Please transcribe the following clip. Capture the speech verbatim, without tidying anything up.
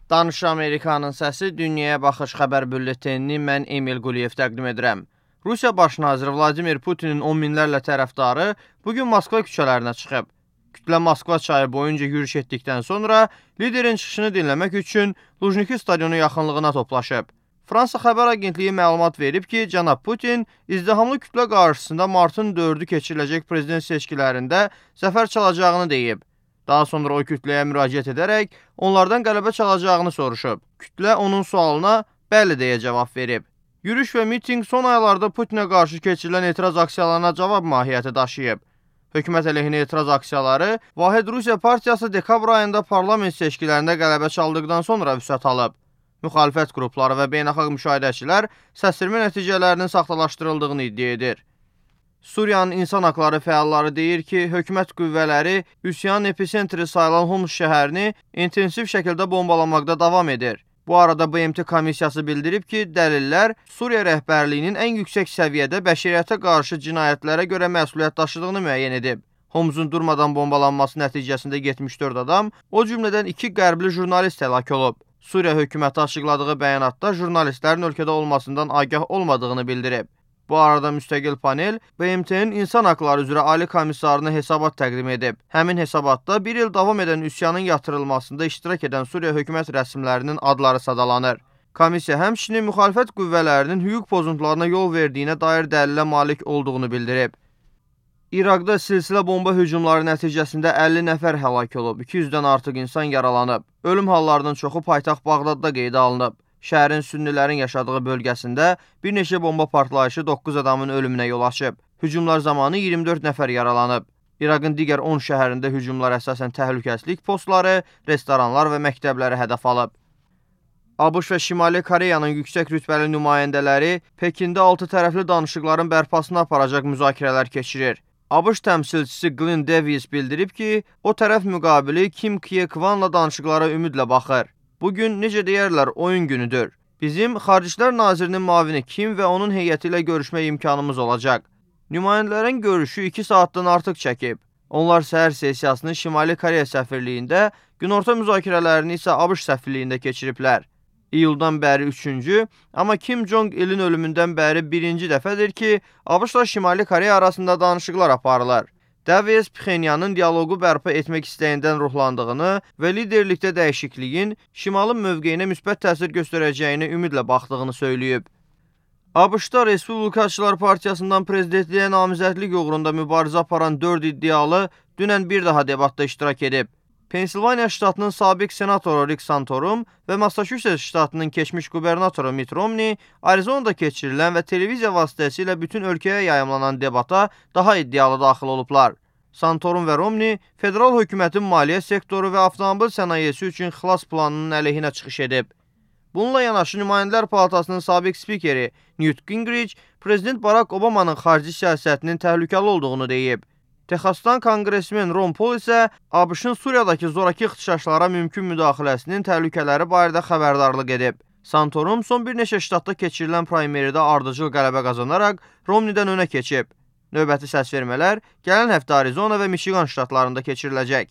Danış Amerikanın səsi Dünyaya Baxış xəbər bülletenini mən Emil Quliyev təqdim edirəm. Rusiya Baş naziri Vladimir Putinin on minlərlə tərəfdarı bugün Moskva küçələrinə çıxıb. Kütlə Moskva çayı boyunca yürüyüş etdikdən sonra liderin çıxışını dinləmək üçün Lujniki stadionu yaxınlığına toplaşıb. Fransa xəbər agentliyi məlumat verib ki, cənab Putin izdihamlı kütlə qarşısında martın dördü keçiriləcək prezident seçkilərində zəfər çalacağını deyib. Daha sonra o kütləyə müraciət edərək onlardan qələbə çalacağını soruşub. Kütlə onun sualına bəli deyə cavab verib. Yürüyüş və miting son aylarda Putinə qarşı keçirilən etiraz aksiyalarına cavab mahiyyəti daşıyıb. Hökumət əleyhinə etiraz aksiyaları Vahid Rusiya Partiyası dekabr ayında parlament seçkilərində qələbə çaldıqdan sonra vüsət alıb. Müxalifət qrupları və beynəlxalq müşahidəçilər səsvermə nəticələrinin saxtalaşdırıldığını iddia edir. Suriyanın insan haqları fəalları deyir ki, hökumət qüvvələri üsyanın epicentri sayılan Homs şəhərini intensiv şəkildə bombalamaqda davam edir. Bu arada B M T komissiyası bildirib ki, dəlillər Suriya rəhbərliyinin ən yüksək səviyyədə bəşəriyyətə qarşı cinayətlərə görə məsuliyyət daşıdığını müəyyən edib. Homsun durmadan bombalanması nəticəsində yetmiş dörd adam, o cümlədən iki qərbli jurnalist həlak olub. Suriya hökuməti açıqladığı bəyanatda jurnalistlərin ölkədə olmasından agah olmadığını bildirib. Bu arada müstəqil panel B M T'nin insan haqları üzrə ali komissarına hesabat təqdim edib. Həmin hesabatda bir il davam edən üsyanın yatırılmasında iştirak edən Suriya hökumət rəsmilərinin adları sadalanır. Komissiya həmçinin müxalifət qüvvələrinin hüquq pozuntularına yol verdiyinə dair dəlilə malik olduğunu bildirib. İraqda silsilə bomba hücumları nəticəsində əlli nəfər həlak olub, iki yüzdən artıq insan yaralanıb. Ölüm hallarının çoxu paytaxt Bağdadda qeydə alınıb. Şəhərin sünnilərin yaşadığı bölgəsində bir neçə bomba partlayışı doqquz adamın ölümünə yol açıb. Hücumlar zamanı iyirmi dörd nəfər yaralanıb. İraqın digər on şəhərində hücumlar əsasən təhlükəsizlik postları, restoranlar və məktəbləri hədəf alıb. ABŞ və Şimali Koreyanın yüksək rütbəli nümayəndələri Pekində altı tərəfli danışıqların bərpasına aparacaq müzakirələr keçirir. ABŞ təmsilçisi Glenn Davis bildirib ki, o tərəf müqabili Kim Kye-Kvanla danışıqlara ümidlə baxır. Bugün, necə deyərlər, oyun günüdür. Bizim Xaricilər Nazirinin müavini Kim və onun heyəti ilə görüşmək imkanımız olacaq. Nümayəndələrin görüşü iki saatdan artıq çəkib. Onlar səhər sessiyasını Şimali Koreya səfirliyində, günorta müzakirələrini isə ABŞ səfirliyində keçiriblər. İyuldan bəri üçüncü, amma Kim Jong-ilin ölümündən bəri birinci dəfədir ki, ABŞ-la Şimali Koreya arasında danışıqlar aparılır. Davis Pxenyanın dialoqu bərpa etmək istəyindən ruhlandığını və liderlikdə dəyişikliyin Şimalın mövqeyinə müsbət təsir göstərəcəyini ümidlə baxdığını söyləyib. ABŞ-da Respublikaçılar Partiyasından prezidentliyə namizədlik uğrunda mübarizə aparan dörd iddialı dünən bir daha debatda iştirak edib. Pensilvaniya ştatının sabiq senatoru Rick Santorum və Massachusetts ştatının keçmiş qubernatoru Mitt Romney Arizonada keçirilən və televiziya vasitəsilə bütün ölkəyə yayımlanan debata daha iddialı daxil olublar. Santorum və Romney federal hökumətin maliyyə sektoru və avtomobil sənayesi üçün xilas planının əleyhinə çıxış edib. Bununla yanaşı Nümayəndələr Palatasının sabiq spikeri Newt Gingrich prezident Barack Obama'nın xarici siyasətinin təhlükəli olduğunu deyib. Texasdan konqresmen Ron Paul isə ABŞ-ın Suriyadakı zorakı ixtişaşlara mümkün müdaxiləsinin təhlükələri barədə xəbərdarlıq edib. Santorum son bir neçə ştatda keçirilən praymeridə ardıcıl qələbə qazanaraq Romneydən önə keçib. Növbəti səsvermələr gələn həftə Arizona və Michigan ştatlarında keçiriləcək.